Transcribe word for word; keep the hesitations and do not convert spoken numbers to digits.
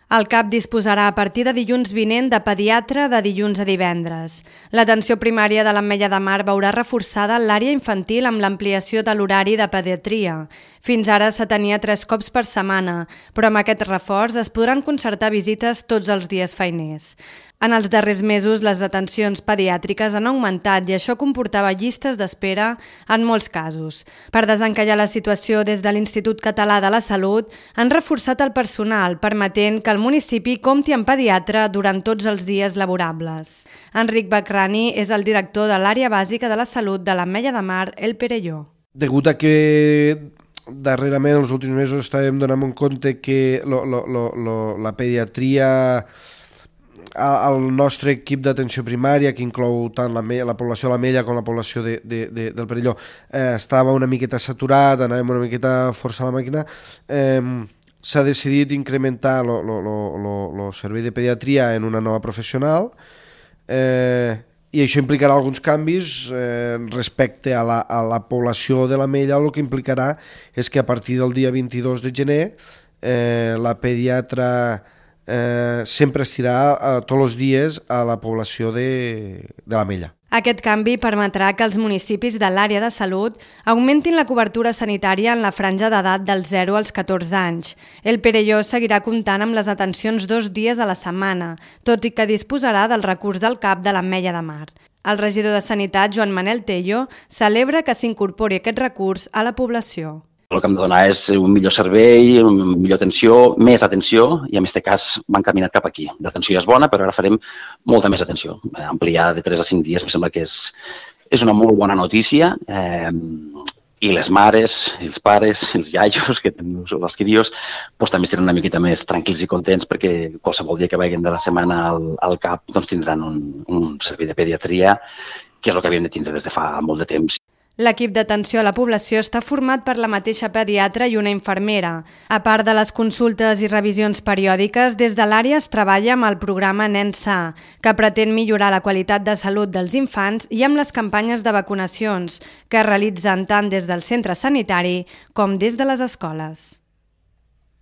El CAP disposarà a partir de dilluns vinent de pediatre de dilluns a divendres. L'atenció primària de l'Ametlla de Mar veurà reforçada l'àrea infantil amb l'ampliació de l'horari de pediatria. Fins ara s'atenia tres cops per setmana, però amb aquest reforç es podran concertar visites tots els dies feiners. En els darrers mesos, les atencions pediàtriques han augmentat i això comportava llistes d'espera en molts casos. Per desencallar la situació, des de l'Institut Català de la Salut han reforçat el personal, permetent que el municipi compti amb pediatre durant tots els dies laborables. Enric Bacrani és el director de l'àrea bàsica de la salut de l'Ametlla de Mar, el Perelló. Degut a que darrerament, els últims mesos, estàvem donant en compte que lo, lo, lo, lo, la pediatria el nostre equip d'atenció primària, que inclou tant la, la població de l'Ametlla com la població de, de, de, del Perelló, eh, estava una miqueta saturat, anàvem una miqueta a forçar la màquina, eh, s'ha decidit incrementar el servei de pediatria en una nova professional, eh, i això implicarà alguns canvis eh, respecte a la, a la població de l'Ametlla. El que implicarà és que a partir del dia vint-i-dos de gener eh, la pediatra Eh, sempre estirà eh, tots els dies a la població de, de l'Ametlla. Aquest canvi permetrà que els municipis de l'àrea de salut augmentin la cobertura sanitària en la franja d'edat dels zero als catorze anys. El Perelló seguirà comptant amb les atencions dos dies a la setmana, tot i que disposarà del recurs del CAP de l'Ametlla de Mar. El regidor de Sanitat, Joan Manel Tello, celebra que s'incorpori aquest recurs a la població. El que hem de donar és un millor servei, una millor atenció, més atenció, i en aquest cas m'han caminat cap aquí. L'atenció ja és bona, però ara farem molta més atenció. Ampliar de tres a cinc dies em sembla que és, és una molt bona notícia, eh, i les mares, els pares, els iaios, que tenen els crios, doncs, també estaran una miqueta més tranquils i contents perquè qualsevol dia que vagin de la setmana al, al CAP doncs, tindran un, un servei de pediatria, que és el que havíem de tindre des de fa molt de temps. L'equip d'atenció a la població està format per la mateixa pediatra i una infermera. A part de les consultes i revisions periòdiques, des de l'àrea es treballa amb el programa Nen Sa, que pretén millorar la qualitat de salut dels infants, i amb les campanyes de vacunacions, que es realitzen tant des del centre sanitari com des de les escoles.